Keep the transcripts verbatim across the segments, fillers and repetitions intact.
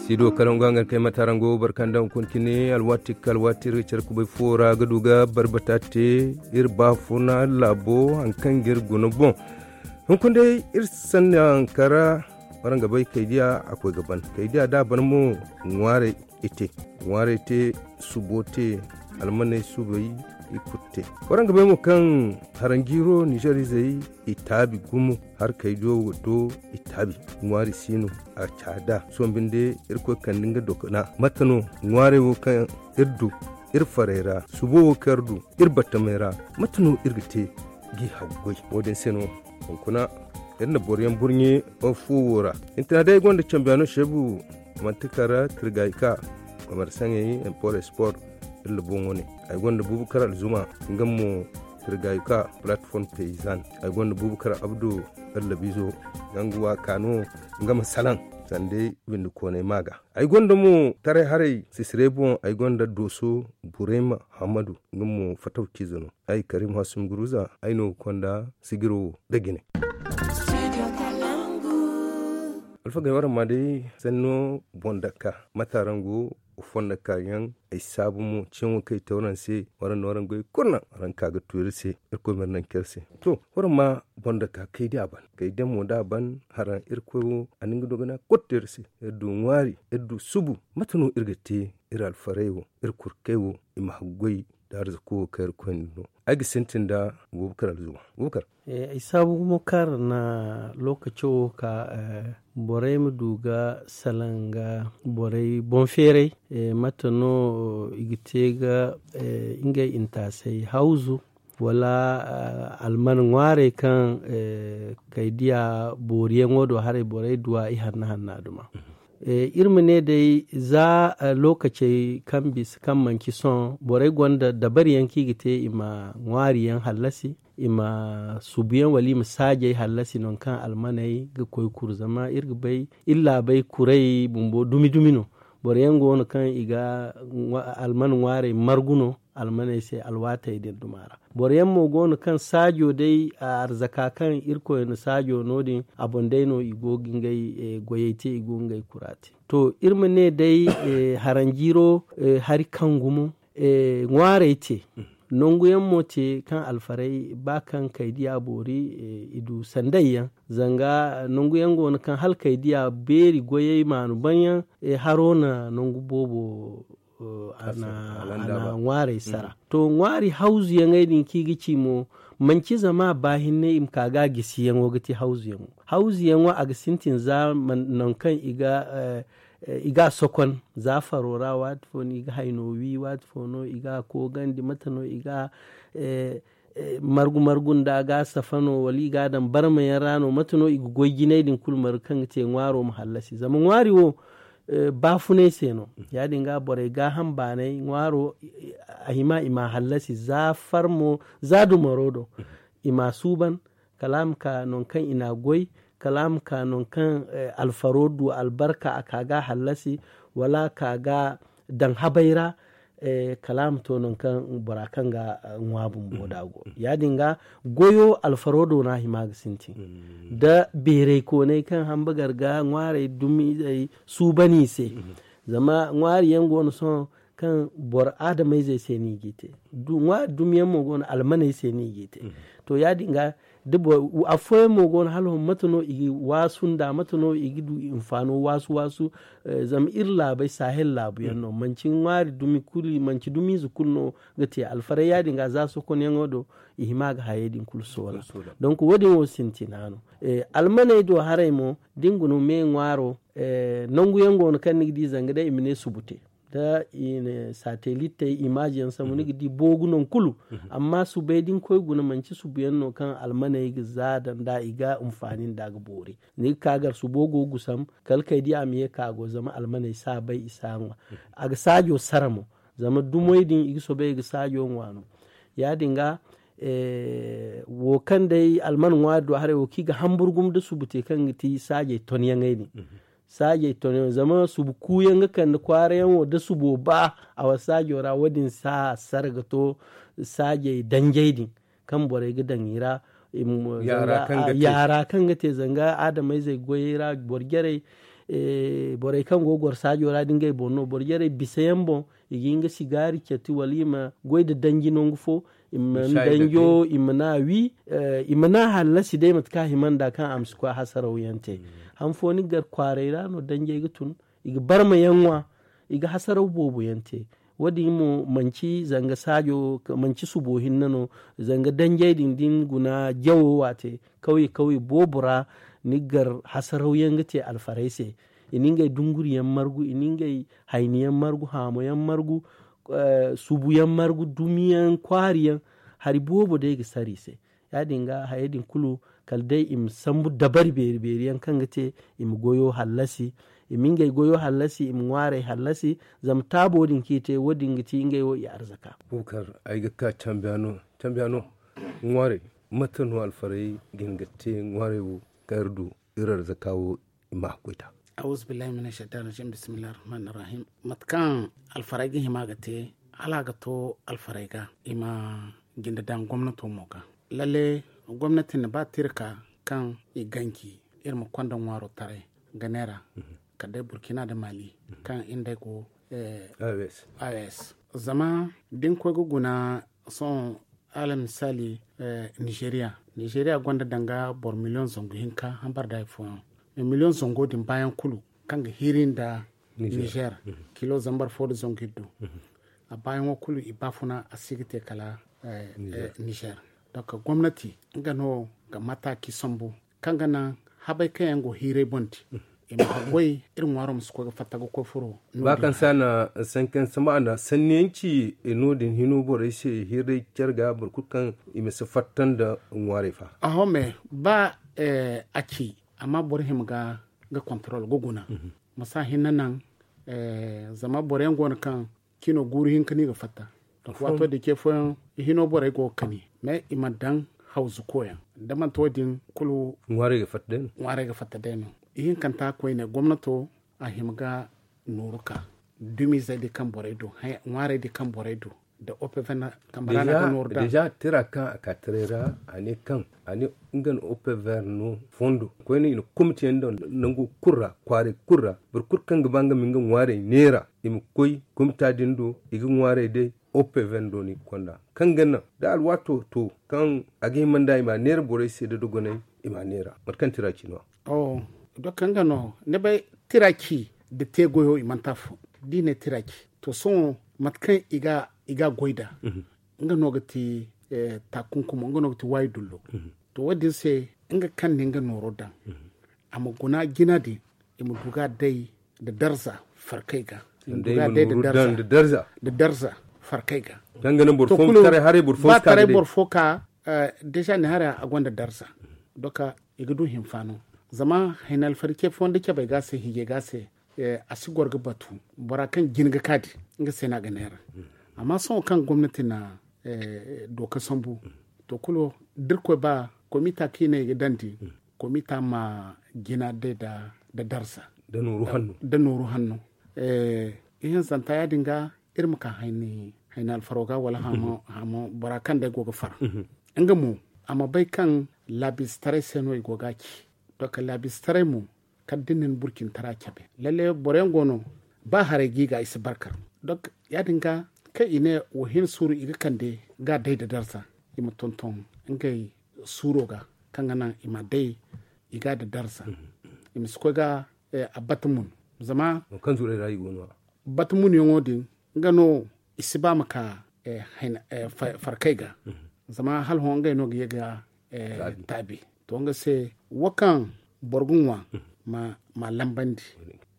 Tiido kala ngo hangan kay mata ra ngo barkanda hunkuna cine alwaati ka alwaati iri ga care kubay fuwo ra ga du ga barbata te iri baafuna laabo haŋ kaŋ ga iri guna boŋ. Hunkuna day iri sanni haŋ kara waraŋ ga bay kaydiya a koy ga ban kaydiya da a ban mo ŋwaaray i te ŋwaaray te subo te almaney subay i kulu te. Waraŋ ga bay mo kaŋ haranjiiro nizeer izey i taabi gumo harkaydiyo do i taabi ŋwaari si no a caada sohõ binde irkoy kande nga dokona mate no ŋwaarey wo kaŋ iri du iri farey ra subo wo kaŋ iri du iri battamey ra mate no iri ga te g'i haggoy wo- din se no hunkuna iri na boro yaŋ burɲe fuwo ra. Hintina day ay gonda cambiyaano seebu manti kara tirgayka komersaŋey import esport iri na boŋo ne ay gonda buubu kara alzuma nga mo tirgayka platform paysan ay gonda buubu kara abdu allabizo nga nga waaka no nga ma salaŋ sanda ay windi koonay ma ga. Ay gonda mo taray haray sisirey boŋ ay gonda dooso burayma hammadu nga mo fataw ciize no ay karim hasum guruza ay no ga konda sigiro wo da jine. Alfagey waraŋ ma day sanno boŋ dakka mate araŋ go fondo kaayaŋ ay saabu mo ciyaŋo kaŋ ay te waraŋ se waraŋ na waraŋ goy kulu naŋ waraŋ ka ga tu iri se irkoy ma iri naŋ care se. To waraŋ ma boŋ dakka kay da a ban kay da mo da a ban haraŋ irkoy wo a na nga dogana kulu te iri se iri du ŋwaari iri du subu mate no iri ga te iri alfarey wo iri kurkey wo i ma haggoy da arzako wo kaŋ iri koyne no. Ay ga sintin da bubakar alzuma bubakar. Ay saabu gumo kaŋ a na lokaco wo ka borey ma du ga salaŋ ga borey boŋ feeray mate no i ga te ga ngey intaasay hawzu wala alman ŋwaarey kaŋ kay diya booriyaŋo do haray borey duwa i hanna hanna duma. Iri ma ne day za lookacey kaŋ bisa kaŋ manci sohõ borey gonda dabariyaŋ kaŋ i ga te i ma ŋwaariyaŋ hallasi i ma subuyaŋ wala i ma saajey hallasi nangu kaŋ almaney ga koy kuru zama iri ga bay iri laabey kuray bumbo dumi dumi no. Boroyaŋ go no kaŋ i ga alman ŋwaarey margu no almaney se alwaatey din duma ra. Boroyaŋ mo go no kaŋ saajo day arzaka kaŋ irkoy na saajo no- din a boŋ day no i go ga ngey goyey te i go ga ngey kura te. To iri ma ne day haranjiiro hari kaŋ gumo ŋwaarey te nanguyaŋ mo te kaŋ alfarey ba kaŋ kay diya boori i du sandayyaŋ zanga nanguyaŋ go no kaŋ hala kay diya beeri goyey maanu banyaŋ haro na nangu boobo a na ŋwaarey sara. To ŋwaari hawzuyaŋey din kaŋ i ga ci mo manci zama baahinne i ma ka ga a gisiyaŋo ga te hawzuyaŋo. Hawzuyaŋo a ga sintin za nangu kaŋ i ga i ga a sokon za faro ra waati fo no i ga hayno wi waati fo no i ga a koogandi mate no i ga a margu margu nda ga safa no wala i ga a daŋ barmayaŋ ra no mate no i ga goy jinay din kulu margu kaŋ ga te ŋwaaro ma hallasi zama ŋwaari wo baafunay se no. Ya- din ga borey gaaham baanay ŋwaaro a hima i ma a hallasi za farmo za dumaro do i ma a suuban kala a ma ka nangu kaŋ i n'a goy kala a ma ka nangu kaŋ alfaro du albarka a ka ga a hallasi wala a ka ga a daŋ habay ra kala a ma to nangu kaŋ bora kaŋ ga ŋwa bumbo da go ya- din ga goyo alfaro do no a hima ga sintin da beeray koonay kaŋ hamba gar ga ŋwaarey dumizey suuban i se. Zama ŋwaari yaŋ go no sohõ kaŋ boro adamayzey se no i g'i te. Ŋwaari dumiyaŋ mo go no almaney se no i g'i te. To ya- din ga da boro afooyaŋ mo go no hala hõ mate no i ga waasu nda mate no i ga du hinfaano waasu waasu. Zama iri laabey sahel laabu yaŋ no manci ŋwaari dumi kulu manci dumiize kulu no ga te alfaray ya- din ga za sokonyaŋo do i hima ga hayey din kulu soola. Donk wo- din wo sintina no. Almaney do haray mo da ni guna me ŋwaaro nangu yaŋ go no kaŋ ni ga di zanga day i ma ne subu te da i na satellittey imaaji yaŋ sambu ni ga di boogu nangu kulu. Amma subey da ni koy guna manci subu yaŋ no kaŋ almaney ga za daŋ da i ga hinfaani nda ga boori. Ni ga ka gar subo go gusam kala kay di a ma ye ka go zama almaney si a bay i si a ŋwa. A ga saajo sara mo zama dumey din i ga soobay i ga saajo ŋwa no. Ya- din ga wo kaŋ day alman ŋwaari do haray wo kaŋ i ga hambur gumo da subu te kaŋ ga ti saajey tonyaŋey din. Saajey tonyaŋo zama subu kuuyaŋ ga kande kwaarayaŋo da subo ba a wala saajo ra wo- din si a sara ga to saajey danjey din kaŋ borey ga daŋ i ra. Yaara kaŋ ga te zanga adamayzey goyey ra boro jarey Borey kaŋ go ga goro saajo ra da ngey boŋ no boro jarey bisa yaŋ boŋ, i ga hin ga sigaari cati wala i ma goy nda danji nangu fo. I ma danjo i ma na wi. I ma na hallasi day mate kaŋ a hima nda kaŋ a ma si koy hasaraw yaŋ te. Han fo ni gar kwaaray ra no danjey ga tun, i ga barma yaŋ ŋwa. I ga hasaraw boobo yaŋ te. Wo- din mo manci zanga saajo, manci subo hinne no. Zanga danjey din da ni guna jawo waate kawye kawye boobo ra, ni gar hasaraw yaŋ ga te alfarey se. I na ngey dunguri yaŋ margu, i na ngey hayni yaŋ margu, haamo yaŋ margu, subu yaŋ margu, dumi yaŋ kwaari yaŋ. Hari boobo day ga sara i se. Ya- din ga hayey din kulu, kala day i ma sambu dabari beeri beeri yaŋ kaŋ ga te i ma goyo hallasi. I ma ngey goyo hallasi, i ma ŋwaarey hallasi. Zama taabo din kaŋ i te, wo- din ga ti ngey wo i arzaka. Bukar, ay ga ka cambiyaano cambiyaano. Ŋwaarey, mate no alfarey ga hin ga te ŋwaarey wo kaŋ iri du iri arzaka wo? I ma koyta. Auzubillahi mina shaytan rajim, bismillahi rahmani rahim. Mate kaŋ alfarey ga hima ga te, hala a ga to alfarey ga, i ma jinde daŋ gomnato mo ga. Lalle, gomnati na ba tirka kaŋ i ganji iri ma konda ŋwaaro taray ga neera, kala day burkina nda mali, kaŋ i nd'ey go. Aws. Zama da ni koy ga guna, sohõ, alal misaali, nizeeriya nizeeriya gonda danga boro miliyoŋ zangu hinka hambar da hari fooyaŋ. Mais miliyoŋ zango din baayaŋ kulu kaŋ ga hiiri nda nizeer, kilo zambar fo nda zangu iddu. A baayaŋo kulu i baafuna a si ga te kala nizeer. Donk gomnati nga no ga mataaci sambu kaŋ ga naŋ habey kaŋ yaŋ go hiirey boŋ di, i ma haggoy iri ŋwaaro ma si koy ga fatta ga koy furo. Ba kaŋ se a na sankan sama a na sanni yaŋ ci no- din hino borey se hiirey care ga boro kulu kaŋ i ma si fatta nda ŋwaarey fa. Aho me ba a ci amma boro hima ga kontorol ga guna. Ma si a hinne naŋ zama boro yaŋ go no kaŋ cino guuru hinka no i ga fatta. Waato din ce fooyaŋ i hino borey go ga kani mais i mana daŋ hawzu koyaŋ da manti wo- din kulu ŋwaarey ga fatta day no. Ihinkanta koyne gomnato a hima ga nooru ka dumizey din kaŋ borey do, ŋwaarey din kaŋ borey do, nda opevena kambe ra no a ga nooru daŋ. Deja tira kaŋ a ka taray ra a ne kaŋ a ne nga na opever no fondo koyne i na komite yaŋ daŋ nango kulu ra kwaaray kulu ra. Boro kulu kaŋ ga ba nga ma nga ŋwaarey neera i ma koy komita din do i ga ŋwaarey day. Opever do no i ga konda kaŋ ga naŋ da alwaato to kaŋ a ga hima nda i ma a neera borey se da dogonay i ma a neera mate kaŋ tira ci no-ya. Doka nga no ni bay tira ci nda te goyo i mana te afo da i ne tira ci. To sohõ mate kaŋ i ga a goy nd'a nga no ga ti taakunkumo nga no ga ti waayi dullo. To wo- din se nga kaŋ na nga nooro daŋ a ma guna jina din i ma du ga a day nda darza farkay ga. I ma du ga a day nda darza farkay ga. Kaŋ ga naŋ boro fo ma taray haray boro fo si ka ga day. Deja ni haray a gonda darza. Doka i ga du hinfaano zama hayna alfari ce fooyaŋ da cabay ga a se hiijay ga a se a si goro ga batu bora kaŋ jin ga ka din nga se no a ga neera. Amma sohõ kaŋ gomnati na dooka sambu to kulu da iri koy ba komita kaŋ i ne i ga daŋ din komita ma jina day nda darza nda nooru hanno. Ihinzanta ya- din ga iri ma ka hayni alfaro ga wala haamo bora kaŋ day go ga far nga mo a ma bay kaŋ laabisitaray se no i go ga a ci. Donk laabisitaray mo kala da ni na burcintara cabe lalle boro yaŋ go no ba haray ga i ga i si barkar. Donk ya- din ga kaŋ i ne wa hin suuru i ga kande ga a day nda darza i ma tonton ngey suuro ga kaŋ ga naŋ i ma a day i ga a nda darza i ma si koy ga a bata mun. Zama bata munyaŋo din nga no i si ba ma ka farkay ga zama hala hõ ngey no ga ye ga taabi. To nga se wo kaŋ boro ga ŋwa ma lambandi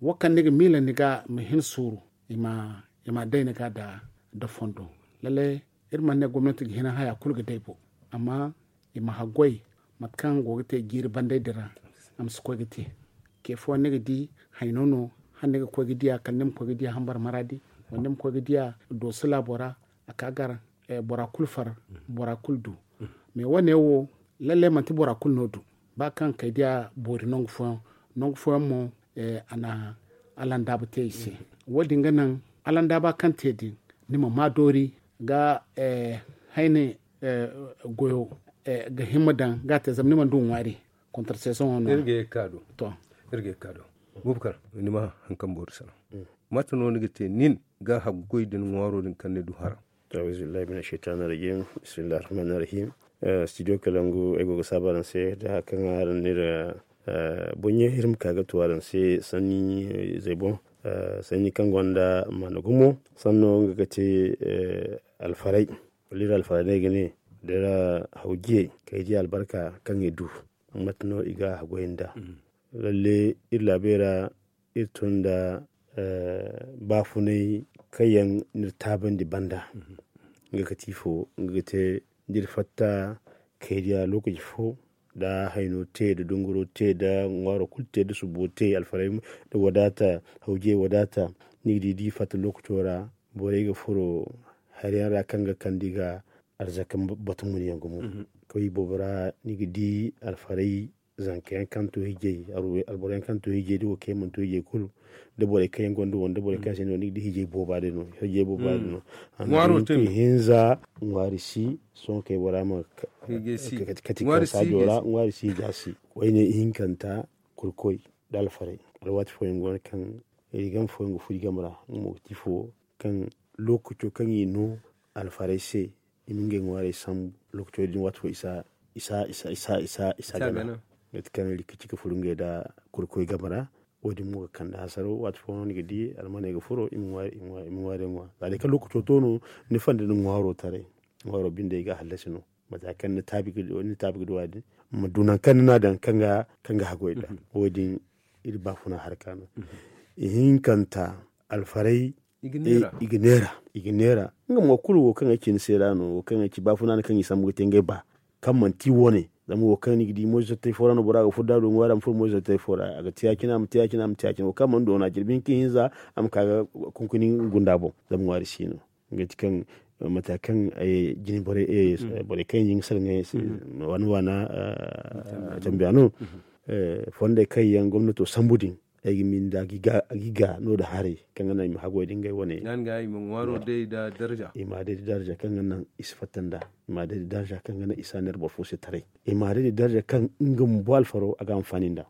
wo kaŋ ni ga miila ni ga ma hin suuru i ma day ni ga da fondo. Lalle iri mana ne gomnati ga hin haya kulu ga day bo amma i ma haggoy mate kaŋ go ga te jiiri banday din ra a ma si koy ga te. Ce fooyaŋ ni ga di hayno no hala ni ga koy ga diya kala ni ma koy ga diya hambar maraadi wala ni ma koy ga diya dooso laabo ra a ka gar bora kulu far bora kulu du. Mais wo- ne wo lalle manti bora kulu no du ba kaŋ kay diya boori nangu fooyaŋ nangu fooyaŋ mo a na alandaaba te i se. Wo- din ga naŋ alandaaba kaŋ te din ni ma ma doori ga hayne goyo ga himma daŋ ga a te zama ni mana du ŋwaari. Kontra seesoŋo no iri ga ye ga ka do. To iri ga ye ga ka do. Bubakar, ni ma haŋ kaŋ boro salaŋ. Mate no ni ga te nin ga haggoy din ŋwaaro din kaŋ ni du hara? Auzubillahi mina shaytani rajim. Bismillahi rahmani rahim. Studio kalangu ay go ga saabu araŋ se da haka kaŋ araŋ n'iri boŋ yaŋ iri ma ka ga tu araŋ se sanni zey boŋ. Sanni kaŋ gonda maana gumo sanno nga ga te alfaray. Wala iri alfaray no ay ga ne da iri hawjiyey kaŋ ay di albarka kaŋ i du. Mate no i ga a goy nd'a? Lalle iri laabey ra iri tun nda baafunay kaŋ yaŋ n'iri taabandi banda. Nga ga ti ifo? Nga ga te da iri fatta kaydiya lokaci fo da hayno te da dunguro te da ŋwaaro kulu te da subo te alfaray da wadaata hawjiyey wadaata. Ni ga di da i fatta lokaco ra borey ga furo hari yaŋ ra kaŋ ga kande i ga arzaka batu mun yaŋ gumo. Kaway boobo ra ni ga di alfaray zanka yaŋ kaŋ to hijey alboro yaŋ kaŋ to hijey da wo kaŋ yaŋ mana to hijey kulu da borey kaŋ yaŋ gonda wo da borey kaŋ yaŋ sinda wo ni ga di hijey booba day no. Hijey booba day no. Ŋwaaro te hinza ŋwaari si sohõ kay bora ma kati kaŋ saajo ra ŋwaari si hija si. Wayne ihinkanta kurkoy da alfaray alwaati fooyaŋ go no kaŋ rigam fooyaŋ ga furo i game ra nga mo ga ti fo kaŋ lokaco kaŋ i no alfaray se i ma ngey ŋwaarey sambu. Lokaco din waati fo isa isa isa isa isa isa gana. Mate kaŋ rikka ci ga furo ngey da kurkoy game ra. Wo- din mo ga kande hasaro waati fo no ni ga di almaney ga furo i ma ŋwaarey ŋwa za day kaŋ lokaco to no ni fanda ni ŋwaaro taray. Ŋwaaro binde i ga hallasi no mate kaŋ ni taabi ga du a din ma du nangu kaŋ ni n'a daŋ kaŋ ga haggoy nd'a. Wo- din iri baafuna harka no. Ihinkanta alfaray i ga neera i ga neera. Nga mo kulu wo kaŋ ay ci ni se ra no wo kaŋ ay ci baafuna no kaŋ i sambu ga te ngey ba kaŋ manti wane. Zama wo kaŋ ni ga di moyzartey fo ra no bora ga furo da a du ŋwaari a ma furo moyzartey fo ra a ga te ya-cine a ma te ya-cine a ma te ya-cine wo kaŋ a mana doona jirbi hinka hinza a ma ka ga kunkuni gunda boŋ. Zama ŋwaari si no nga ti kaŋ mata kaŋ ay jine borey kaŋ yaŋ jin ga salaŋ ay se waana waana tambiya no. Fondey kaŋ yaŋ gomnato sambu din ay ga miila a ga i ga no da haray kaŋ ga naŋ i ma haggoy da ngey wane. Nga i ma ŋwaaro day da darja i ma day da darja kaŋ ga naŋ i si fatta nd'a. I ma day da darja kaŋ ga naŋ i si a neera boro fo se taray. I ma day da darja kaŋ nga bumbo alfaro a ga anfaani nd'a.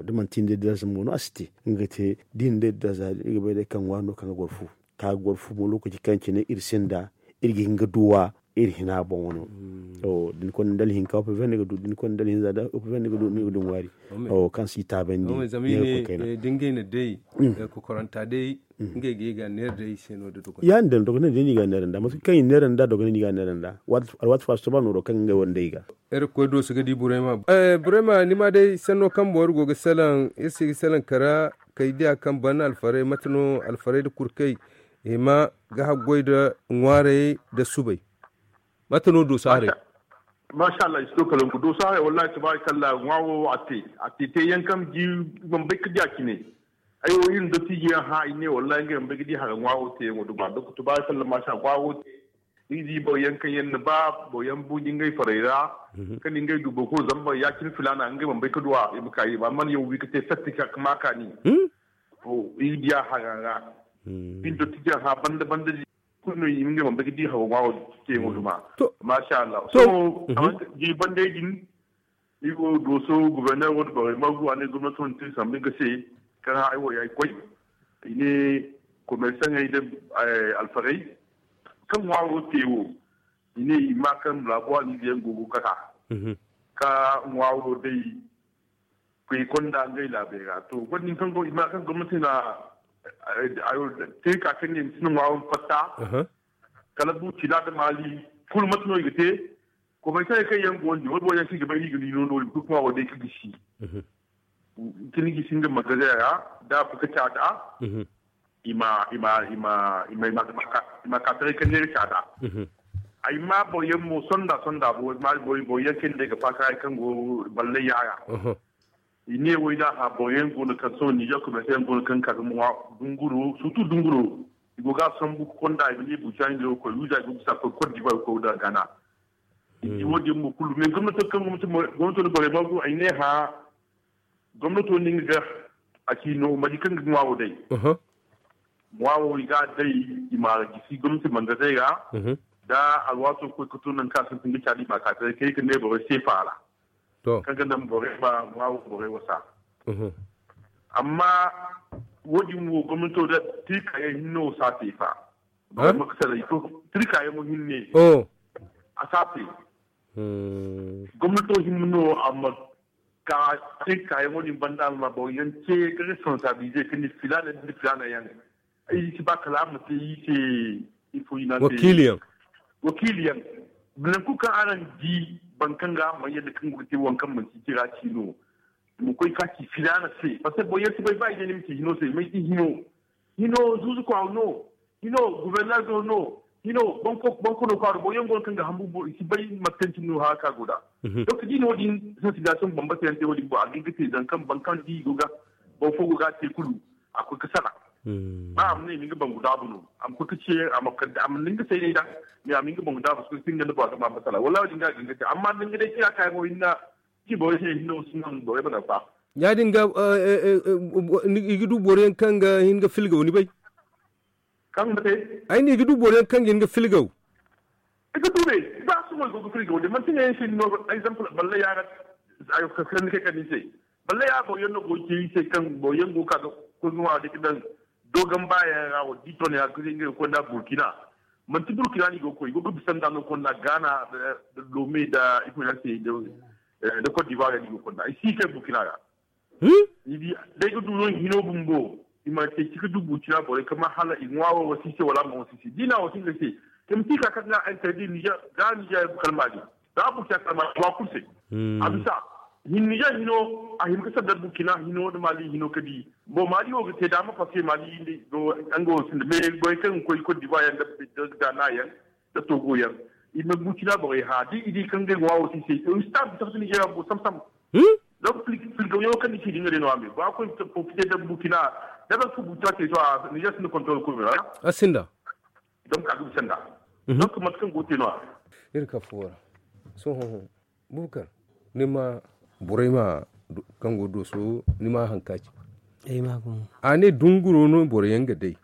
Da manti ni day da darja mo no a si te nga ga te da i na day da darja i ga bay day kaŋ ŋwaari no kaŋ ga goro fu ka ga goro fu mo lokaci kaŋ cine iri sinda iri ga hin ga duw'a iri hina boŋo no. Da ni konda dala hinka opeven ni ga du da ni konda dala hinza da opeven ni ga du ni ga du ŋwaari kaŋ si taabandi. Zama i ne da ngey na day kokoranta day ngey ga ye ga neera day i se no da dogonay. Ya- din dogonay day no i ga neera nd'a mate kaŋ i neera nd'a dogonay no i ga neera nd'a. Alwaati fo a si to ba nooro kaŋ ngey wane day i ga. Iri ga koy dooso ga di burayma. Burayma ni ma day sanno kaŋ boro go ga salaŋ iri se ga salaŋ kara kay diya kaŋ ban alfaray mate no alfaray nda kurkay i ma ga haggoy nda ŋwaarayey nda subay. Mate no dooso haray? Maasa allah i si to kalangu dooso haray wallahi tabaarikalla ŋwaaro a te a te te yaŋ kaŋ di i mana bay ga di a cine. Ay wo iri nda tiiji yaŋ hã i ne wallahi ngey mana bay ga di haray ŋwaaro te yaŋo duma donk tabaarikalla maasa ŋwaaro te. Ni ga di boro yaŋ kaŋ yaŋ na ba boro yaŋ buuji ngey farey ra kaŋ ni ngey du boro kulu zama boro ya- cine filaana ngey mana bay ga du a i ma ka i ma a mana yaŋ wi ga te satti ka ma kaani. Iri ga di a haray ra. Iri nda tiiji yaŋ hã banda banda di kulu no i ma ngey mana bay ga di haro ŋwaaro te yaŋo duma. Maasa allah sohõ jiiri bandey din iri wo dooso goborneer wo nda borey margu a ne gomnato nda te sambu nga se kaŋ hã ay wo ya ay koy. I ne komersaŋey nda alfarey kaŋ ŋwaaro te wo i ne i ma kaŋ laabo a ne i ga yaŋ go ga kata ka ŋwaaro day koy konda ngey laabey ra to wadin kaŋ go i ma kaŋ gomnati na te ka kaŋ ne i ma sinda ŋwaaro ma fatta. Kala buuci da adamaali kulu mate no i ga te. Komersaŋey kaŋ yaŋ go ndi wala boro yaŋ kaŋ i ga bay no i ga ni no no i ma koy ka ŋwaaro day ka gisi. Ka ni gisi nga magazin ra da a koy ka caada i ma i ma i ma i ma i ma ka taray ka neera caada. Ay ma boro yaŋ mo sonda sonda boro yaŋ kaŋ day ga faakaaray kaŋ go ballay yaara. I ne wo i n'a hã boro yaŋ go no kaŋ sohõ ninzeer komerse yaŋ go no kaŋ ga ka ga ŋwa dunguro surtu dunguro. I go ga a sambu ga konda i ma ne buuca ninzeero koy wiiza i go ga bisa koy kot divoire koy nda gana. I di wo- din mo kulu mais gomnato kaŋ gomnato nda borey margu ay ne hã gomnato no nga ga a ci no manti kaŋ ga ŋwaaro day. Ŋwaaro i ga a day i ma a gisi gomnati mangazey ra. Da alwaato koy ga to nangu kaŋ a sintin ga caadi i ma a ka taray kay ga ne borey seefa ra. Kaŋ ga naŋ borey ma ŋwaaro borey wasa. Amma wo- din wo gomnato da tirka yaŋ hinne wo si a te fa. Tirka yaŋ wo hinne a si a te. Gomnato hinne no a ma ka tirka yaŋ wo- din banda a ma boro yaŋ ce ga responsabilize ka ne filaana nda filaana yaŋ. Ay si ba kala a ma te i se ifo i na te wakiili yaŋ. Wakiili yaŋ. Nangu kaŋ araŋ di boro kaŋ ga a ma yadda kaŋ go ga te waŋ kaŋ manti tira ci no. Ma koy ka ci filaana se parce que boro yaŋ si bay ba i ne ni ma ci hino se may ti hino. Hino zuuzu kwaaru no. Hino gubernar do no. Hino banko no kwaaru boro yaŋ go no kaŋ ga hambu boro i si bay mate kaŋ cine no hara ka go nd'a. Donc da i na wo- din sensibilisation bambata yaŋ te wo- din boŋ a ga hin ga te zama kaŋ boro kaŋ di i go ga boro fo go ga a te kulu a koy ga sara. Ba a ma ne i ma nga bangu daabu no a ma koy ga ce a ma kande a ma ne nga saynay nd'a. Mais a ma nga bangu daabu se kaŋ sinda nda boro ga ma masala wallaahi wo- din ga a ga hin ga te amma da nga day tira kaayaŋo hinna ci borey se hinne wo si naŋ borey ma naŋ fa. Ya- din ga i ga du boro yaŋ kaŋ ga hin ga filgaw ni bay? Kaŋ ga te ay ne i ga du boro yaŋ kaŋ ga hin ga filgaw. I ga du ne ba sohõ i go ga filgaw de manti ne yaŋ se ni no exemple balle yaara. Ayo ka kani kay kani se balle yaara boro yaŋ no go ga te iri se kaŋ boro yaŋ go ga ka ga koy ga ŋwa ga daŋ dogon baayaŋ ra wala di ton yaŋ ga koy nda burkina. Manti burkina no i go ga koy i go ga bisa nd'a no konda gaana, da lome da ifo yaŋ se da cote d'ivoire yaŋ no i go ga konda i si kay burkina ra. Ni di da ay ga du no hino bumbo i ma te ci ga du burkina borey kama hala i ŋwa wo wasi se wala a ma wasi se da i na wasi ngey se. Te ma si ka kaŋ ga interdit niger ga niger kalma din. Za a burkina kalma wa kulu se. A bisa hin niger hino a hin ga sanda burkina hino da mali hino ka di. Bon mali wo ga te daama parce que mali nga wo sinda mais borey kaŋ ga koy cote d'ivoire yaŋ da ghana yaŋ da togo yaŋ. I ma burkina borey hã da i di kaŋ ga ay ŋwa wo si se i si ta bisa ka niger yaŋ bo sam sam. Donc filgaw yaŋo kaŋ ni ci din ga day no a me ba koy profiter da burkina. Da ga su burkina te to a niger sinda contrôle kulu me wala a sinda. Donc a ga bisa nd'a. Donc mate kaŋ go te no a. Iri ka fuwo ra. Sohõ bukar ni ma borey ma kaŋ go dooso ni ma haŋ ka ci. A ne dunguro no boro yaŋ ga day.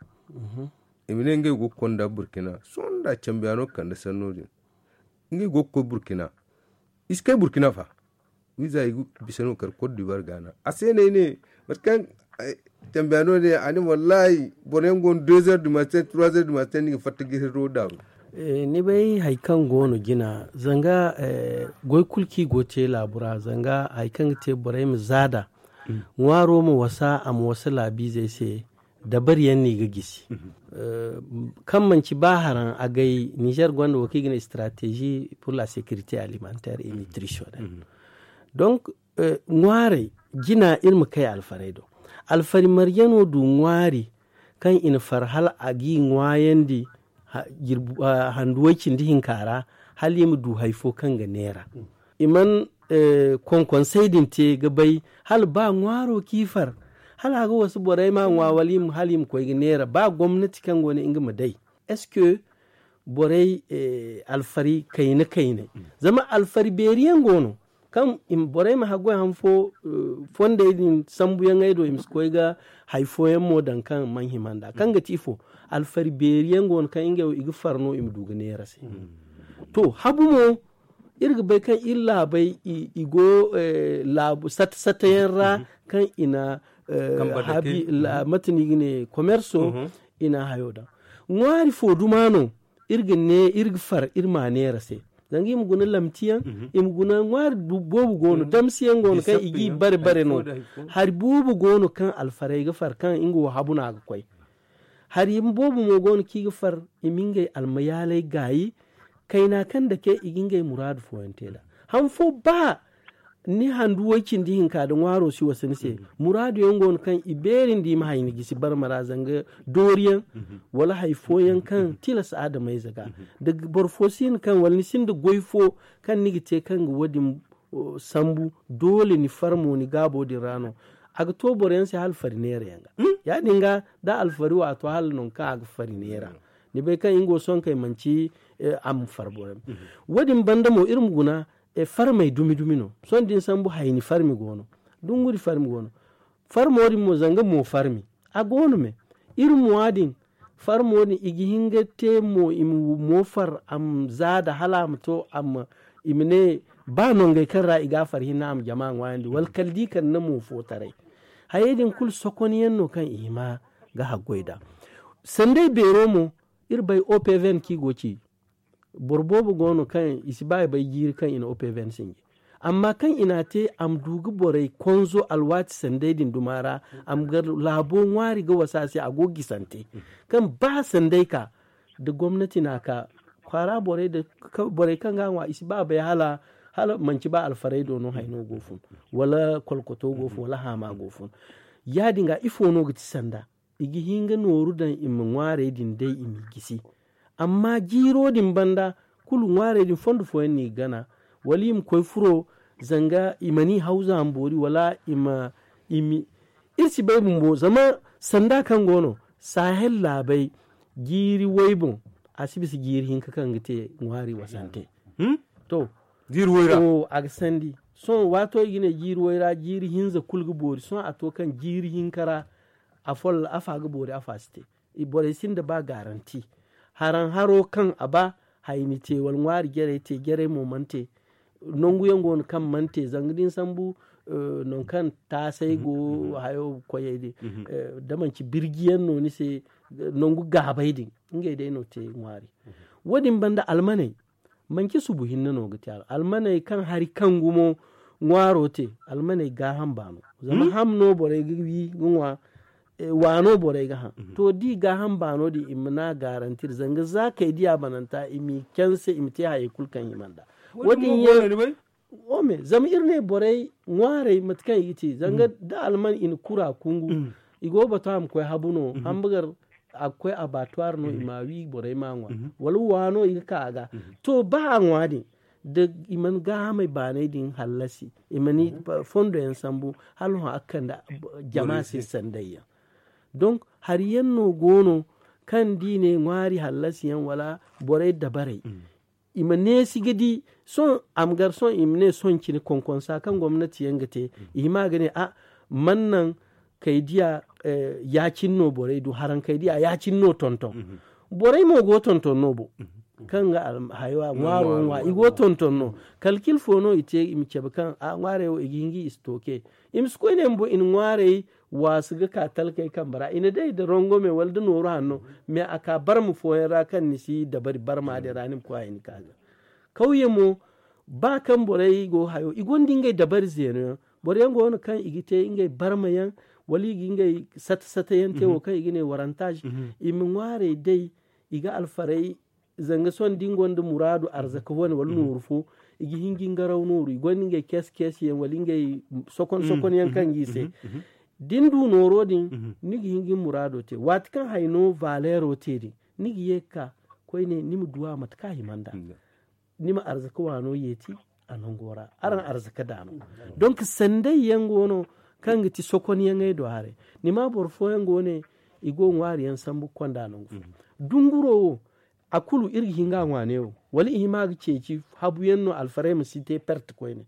I ma ne ngey go ga konda burkina sohõ nda cambiyaano ga kande sanno din. Ngey go ga koy burkina. I si kay burkina fa. Wiiza i ga bisa no kar cote d'ivoire gaana a se no ay ne mate kaŋ cambiyaano ne a ne wallahi boro yaŋ go no deux heures du matin trois heures du matin ni ga fatta ga hirro daaru. Ni bay hari kaŋ go no jina zanga goy kulu kaŋ i go ga te laabu ra zanga hari kaŋ ga te borey ma zaada ŋwaaro ma wasa a ma wasa laabiizey se. Dabari yaŋ no i ga gisi kaŋ manci ba haraŋ agay niger gonda wo kaŋ i ga ne stratégie pour la sécurité alimentaire et nutritionnelle. Donc ŋwaarey jina iri ma kay alfarey do. Alfari marjano du ŋwaari kaŋ i na far hala a g'i ŋwaayandi handu way cindi hinka ra hala i ma du hari fo kaŋ ga neera. I mana konkonsey din te ga bay hala ba ŋwaaro kaŋ i far hala a ga wasu borey ma ŋwa wala hala i ma koy ga neera ba gomnati kaŋ go no nga ma day. Est-ce que borey alfari kayna kaynay zama alfari beeri yaŋ go no kaŋ borey ma haggoy han fo fondey din sambuyaŋey do i ma si koy ga hari fooyaŋ mo daŋ kaŋ mana hima nd'a kaŋ ga ti ifo? Alfari beeri yaŋ go no kaŋ ngey wo i ga far no i ma du ga neera se. To habu mo iri ga bay kaŋ iri laabey i go laabu sata sata yaŋ ra kaŋ i na habi mate no i ga ne komerso i na hayo daŋ. Ŋwaari fo duma no iri ga ne iri ga far iri ma neera se. Zanga i ma guna lamti yaŋ i ma guna ŋwaari boobo go no damsi yaŋ go no kaŋ i g'i bare bare no. Hari boobo go no kaŋ alfarey ga far kaŋ nga wo habu no a ga koy. Hari boobo mo go no kaŋ i ga far i ma ngey almayaaley gaayi kayna kaŋ dake i ga ngey muraadu fooyaŋ te nd'a. Han fo ba ni handu way cindi hinka nda ŋwaaro si wasa ni se muraadu yaŋ go no kaŋ i beeri nda i ma hay ni gisi barma ra zanga doori yaŋ wala hari fooyaŋ kaŋ tilas adamayze ga da boro fo si hin kaŋ wala ni sinda goy fo kaŋ ni ga te kaŋ ga wo- din sambu doole ni farmo ni gaabo din ra no. A ga to boroyaŋ se hala fari neera yaŋ ga ya- din ga da alfari wo a to hala nangu kaŋ a ga fari neera. Ni bay kaŋ nga wo sohõ kay manci a ma far boroyaŋ. Wo- din banda mo iri ma guna farmey dumi dumi no. Sohõ da ni sambu hayni farmi go no dunguri farmi go no. Farmo din mo zanga mo farmi a go no me. Iri mo- din farmo din i ga hin ga te mo i ma mo far a ma zaada hala a ma to a ma i ma ne ba nongey kaŋ ra i ga a far hinne a ma jama ŋwaayandi wala kala da i kande mo fo taray. Hayey din kulu sokonyaŋ no kaŋ i hima ga haggoy nd'a. Sanday beero mo, iri bay opvn kaŋ i go ga ci. Boro boobo go no kaŋ i si ba i bay jiiri kaŋ i na opvn sinji. Amma kaŋ i n'a te a ma du ga borey konzo alwaati sanday din duma ra, a ma gar laabo ŋwaari ga wasa a se, a go ga gisante kaŋ ba sanday ka da gomnati n'a ka kwaara borey da borey kaŋ ga a ŋwa i si ba a bay hala manci ba alfaray do no hayno go fun, wala kolkoto go fun, wala haama go fun. Ya- din ga ifo no ga ti sanda? I ga hin ga nooru daŋ i ma ŋwaarey din day i m'i gisi. Amma jiiro din banda, kulu ŋwaarey din fondo fooyaŋ no i ga gana, wala i ma koy furo zanga i mana i hawza ma boori, wala i ma i ma iri si bay bumbo zama sanda kaŋ go no sahel laabey, jiiri way boŋ a si bisa jiiri hinka kaŋ ga te ŋwaari wasante. To, jiiri way ra a ga sandi. Sohõ waato i ga ne jiiri way ra jiiri hinza kulu ga boori sohõ a to kaŋ jiiri hinka ra afa ga boori afa si te. Borey sinda ba garanti. Haraŋ haro kaŋ a ba hayni te wala ŋwaari jarey te jarey mo mana te. Nangu yaŋ go no kaŋ mana te zanga da ni sambu nangu kaŋ taasay go hayo koyey din, da manci birji yaŋ no ni se nangu gaabay din, ngey day no te ŋwaari. Wo- din banda almaney, manci subu hinne no ga te almaney kaŋ hari kaŋ gumo ŋwaaro te. Almaney gaaham baano zama ham no borey ga wi ga ŋwa. Waano borey ga haŋ to da i gaaham baano din i ma n'a garantir zanga za kay diya bananta i m'i canse i ma te hayey kulu kaŋ hima nd'a. Wo- din yaŋ ome zama iri ne borey ŋwaarey mate kaŋ i ga te zanga da alman i na kura kungu, i go ga batu a ma koy habu no hambagar a ga koy abatuwar no i ma a wi borey ma a ŋwa. Wala waano i ga ka a ga to ba a ŋwa din da i mana gaahamey baanay din hallasi i mana fondo yaŋ sambu hala hõ a ga kande jama se sanday yaŋ. Donk hari yaŋ no go no kaŋ da i ne ŋwaari hallasi yaŋ wala borey dabarey i ma neesi ga di sohõ a ma gar sohõ i ma ne sohõ cine konkonsa kaŋ gomnati yaŋ ga te. I hima ga ne a mana naŋ kay diya ya- cine no borey du haraŋ kay diya ya- cine no tonton. Borey mo go tonton no bo kaŋ ga hayo a ŋwaaro ŋwa i go tonton no. Kalkil fo no i te i ma cabe kaŋ a ŋwaarey wo i ga hin ga i stocke. I ma si koy ne bumbo i na ŋwaarey waasu ga ka talkey kambe ra i na day nda rongome wala nda nooru hanno. Mais a ka barma fooyaŋ ra kaŋ ni si dabari barma din ra ni ma koy a hin ga ka ga kawye mo. Ba kaŋ borey go hayo i gonda ngey dabari zeeno yaŋ. Boro yaŋ go no kaŋ i ga te ngey barma yaŋ wala i ga ngey sata sata yaŋ te wo kaŋ i ga ne warantaj. I ma ŋwaarey day i ga alfarey zanga sohõ da ni gonda muraadu arzaka wane wala nooru fo i ga hin ga ngaraw nooru i gonda ngey keesi keesi yaŋ wala ngey sokon sokon yaŋ kaŋ ga i se. Da ni du nooro din ni ga hin ga ni muraado te waati kaŋ hayno valeero te din ni ga ye ga ka koyne ni ma duw'a mate kaŋ a hima nd'a. Ni ma arzaka waano yeeti a nango ra araŋ arzaka daano. Donk sanday yaŋ go no kaŋ ga ti sokonyaŋey do haray. Ni ma boro fooyaŋ go ne i go ŋwaari yaŋ sambu ga konda nangu fo. Dunguro wo a kulu iri ga hin ga a ŋwa neewo wala i hima ga ceeci habu yaŋ no alfarey ma si te perte koyne.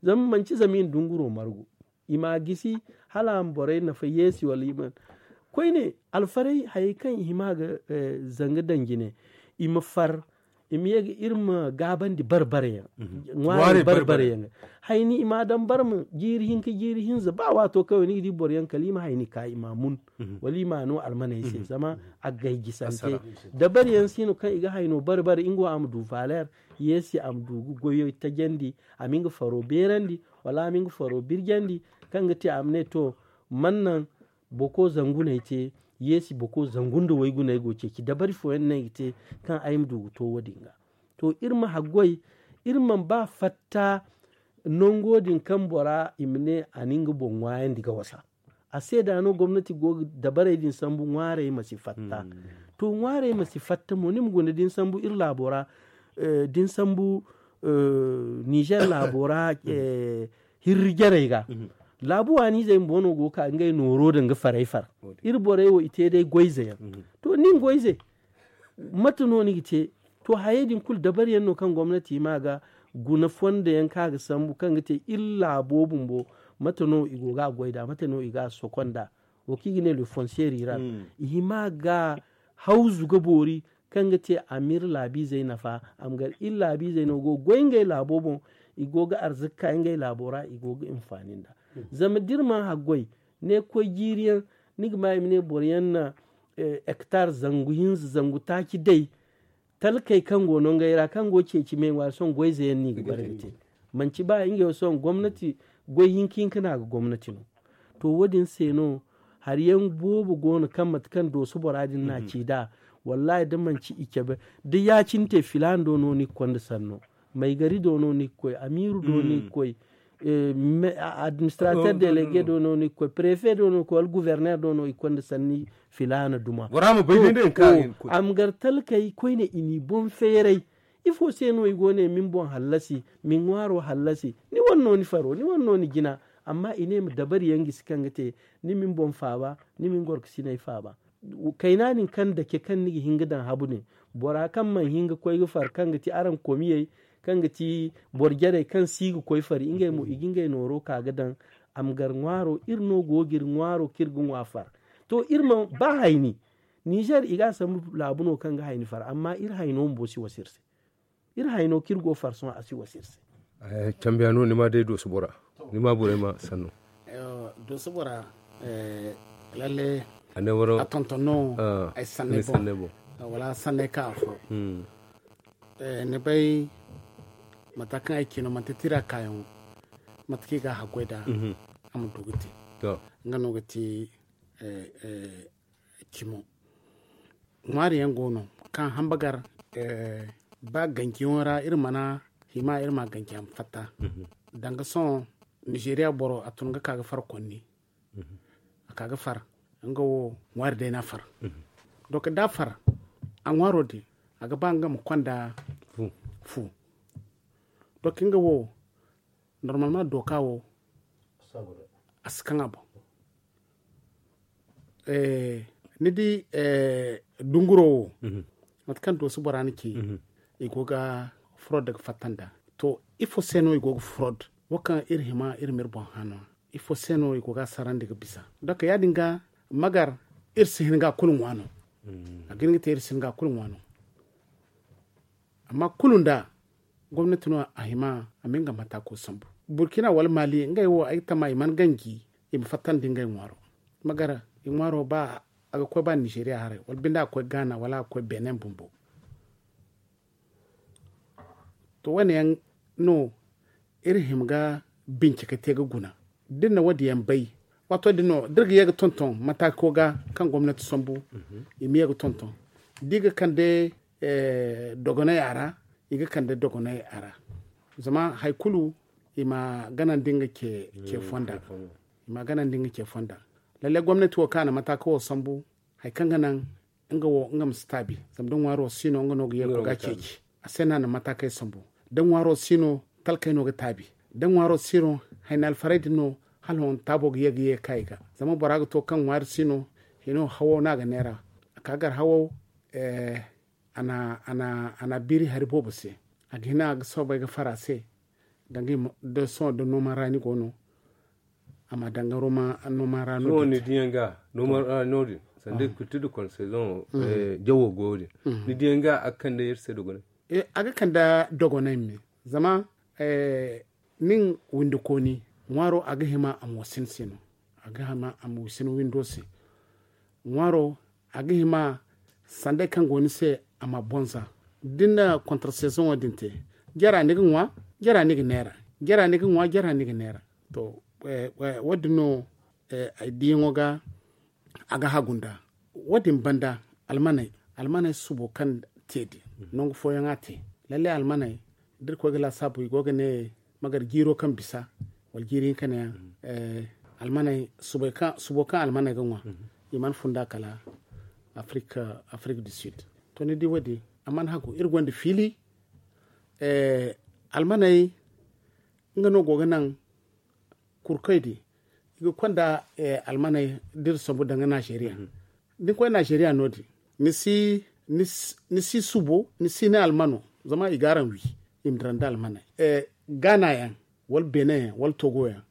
Zama manci zama i na dunguro margu i m'a gisi hala a ma borey nafa yeesi wala i ma koyne alfarey hayey kaŋ i hima ga zanga daŋ jine i ma far i ma ye ga iri ma gaabandi bare bare yaŋ. Ŋwaari bare bare yaŋ hayni i m'a daŋ barma jiiri hinka jiiri hinza ba waato kaŋ ni ga di boro yaŋ kala i ma hayni ka i m'a mun wala i m'a no almaney se zama a gay jisante. Dabari yaŋ si no kaŋ i ga hayno bare bare nga wo a ma du valer yeesi a ma du ga goyo tajandi a ma nga faro beerandi wala a ma nga faro birjandi kaŋ ga te a ma ne to man naŋ boko zanguney te yeesi boko zangu nda wayguney go ceeci dabari fooyaŋ no ay ga te kaŋ ay ma du ga to wo- din ga. To iri ma haggoy iri mana ba fatta nango din kaŋ bora i ma ne a na nga boŋ ŋwaayandi ga wasa. A se da no gomnati go ga dabarey din sambu ŋwaarey ma si fatta. To ŋwaarey ma si fatta mo ni ma guna da ni sambu iri laabo ra da ni sambu niger laabo ra hirri jarey ga. Laabu waaniizey bumbo no go ga ka ngey nooro da nga farey far. Iri borey wo i te day goyze yaŋ. To nin goyze mate no ni ga te? To hayey din kulu dabari yaŋ no kaŋ gomnati hima ga guna fondo yaŋ kaŋ a ga sambu kaŋ ga te iri laabo bumbo mate no i go ga a goy nd'a mate no i ga a sokon nd'a? Wo kaŋ i ga ne le fonseeri ra i hima ga hawzu ga boori kaŋ ga te a ma iri laabiizey nafa a ma gar iri laabiizey no go ga goy ngey laabo boŋ. I go ga arzaka ka ngey laabo ra i go ga hinfaani nd'a. Zama da iri mana haggoy Ne koy jiiri yaŋ, ni ga ma i ma ne boro yaŋ na hectare zangu hinza zangu taaci day. Talkey kaŋ go no ngey ra kaŋ go ceeci me ŋwaari sohõ goy ze yaŋ no i ga bare ga te. Manci ba ngey wo sohõ gomnati goy hinka hinka no a ga gomnati no. To wo- din se no hari yaŋ boobo go no kaŋ mate kaŋ dooso bora din no a ci nd'a. Wallahi da manci i cabe da ya- cine te filaana do no ni ga konda sanno. Maygari do no ni ga koy, amiiru do ni ga koy, administrateur délégué do no ni ga koy, préfet do no ni ga koy wala gouverneur do no i ga konda sanni. Filaana duma. Bora ma bay day nda yaŋ kaŋ a ga hin ga koy. Amgar talkey koyne i n'i boŋ feeray. Ifo se no i go ne min boŋ hallasi, min ŋwaaro hallasi? Ni wane no ni faro, ni wane no ni jina. Amma i ne ma dabari yaŋ gisi kaŋ ga te ni min boŋ faaba, ni min gorkasiney faaba. Kayna din kaŋ dake kaŋ ni ga hin ga daŋ habu ne, bora kaŋ mana hin ga koy ga far kaŋ ga ti araŋ komiyey, kaŋ ga ti boro jarey kaŋ si ga koy fari ngey mo i ga ngey nooro ka ga daŋ. A ma gar ŋwaaro iri no go ga iri ŋwaaro kaŋ iri ga ŋwa far. To iri ma ba hayni. Nizer i ga a sambu laabu no kaŋ ga hayni far amma iri hayno bumbo si wasa iri se. Iri hayno kaŋ iri go farsoŋ a si wasa iri se. Cambiya no ni ma day dooso bora, ni ma borey ma sanno. Dooso bora, lalle a tonton no ay sanney boŋ. Wala sanney ka afo. Ni bay mata kaŋ ay ci no manti tira kaayaŋo. Mata kaŋ i ga a haggoy nd'a a ma du ga te. Nga no ga ti cimo. Ŋwaari yaŋ go no kaŋ hamba gar ba ganjiyaŋo ra iri mana hima iri ma ganji a ma fatta. Danga sohõ nizeriya boro a tun ga ka ga far konni. A ka ga far nga wo ŋwaari day no a far. Doka da a far a ŋwaaro din a ga ba nga ma konda fu. Doka nga wo normalement doka wo a si kaŋ a boŋ. Ni di dunguro wo mate kaŋ dooso bora na ci i go ga furo daga fatta nda. To ifo se no i go ga furo da wo kaŋ iri hima iri ma iri boŋ hano? Ifo se no i go ga a sarandi ga bisa? Doka ya- din ga magar iri si hin ga a kulu ŋwa no. A ga hin ga te iri si hin ga a kulu ŋwa no. Amma kulu nda gomnati no a hima a ma nga matako sambu. Burkina wala mali ngey wo ay ga tama i mana ganji i ma fattandi ngey ŋwaaro. Magara i ŋwaaro ba a ga koy ba nizeriya haray wala binde a ga koy gaana wala a ga koy benin bumbo. To wane yaŋ no iri hima ga bincike te ga guna da iri na wo- din yaŋ bay. Waato din no da iri ga ye ga tonton matako ga kaŋ gomnati sambu i ma ye ga tonton da i ga kande dogonay a ra. I ga kande dogonay a ra zama hari kulu i ma ganandi nga ce fonda. I ma ganandi nga ce fonda. Lalle gomnati wo kaŋ a na mataka wo sambu hari kaŋ ga naŋ nga wo nga ma si taabi. Zama da ŋwaaro si no nga no ga ye ga ceeci a se no a na matakey sambu. Da ŋwaaro si no talkey no ga taabi. Da ŋwaaro si no hayni alfaray din no hala hon taabo ga ye ga ye ga ka i ga. Zama bora ga to kaŋ ŋwaari si no hino hawo no a ga neera a ka gar hawo. A na biiri hari boobo se. A ga hina a ga soobay ga fara se. Danga da sohõ da noman raani go no a ma danga noman raani no din. Sanda i ga kurti da konsezoŋo jawo go din ni diyaŋ ga a ga kande iri se dogonay. A ga kande dogonay me zama nin windikooni ŋwaaro a ga hima a ma wasin se no. A ga hima a ma wasin windo se. Ŋwaaro a ga hima sanday kaŋ go ni se a ma bonza. Da ni na kontra sezoŋo din te jara ni ga ŋwa, jara ni ga neera. Jara ni ga ŋwa jara ni ga neera. To wo- din no ay diyaŋo ga a ga hagu nda wo- din banda almaney. Almaney subo kaŋ te din nangu fooyaŋ a te. Lalle almaney da iri koy ga laasaabu i go ga ne magar jiiro kaŋ bisa wala jiiri hinka neeyaŋ. Almaney subo kaŋ almaney ga ŋwa i mana funda kala afrik du sud. To ni di wo- din a mana hagu iri gonda fiili. Almaney nga no go ga naŋ kurkoy din i ga konda almaney da iri sambu danga najeriya. Da ni koy najeriya no- din ni si subo ni si ni almano zama i ga araŋ wi. I ma dira nda almaney gaana yaŋ wala benin yaŋ wala togo yaŋ.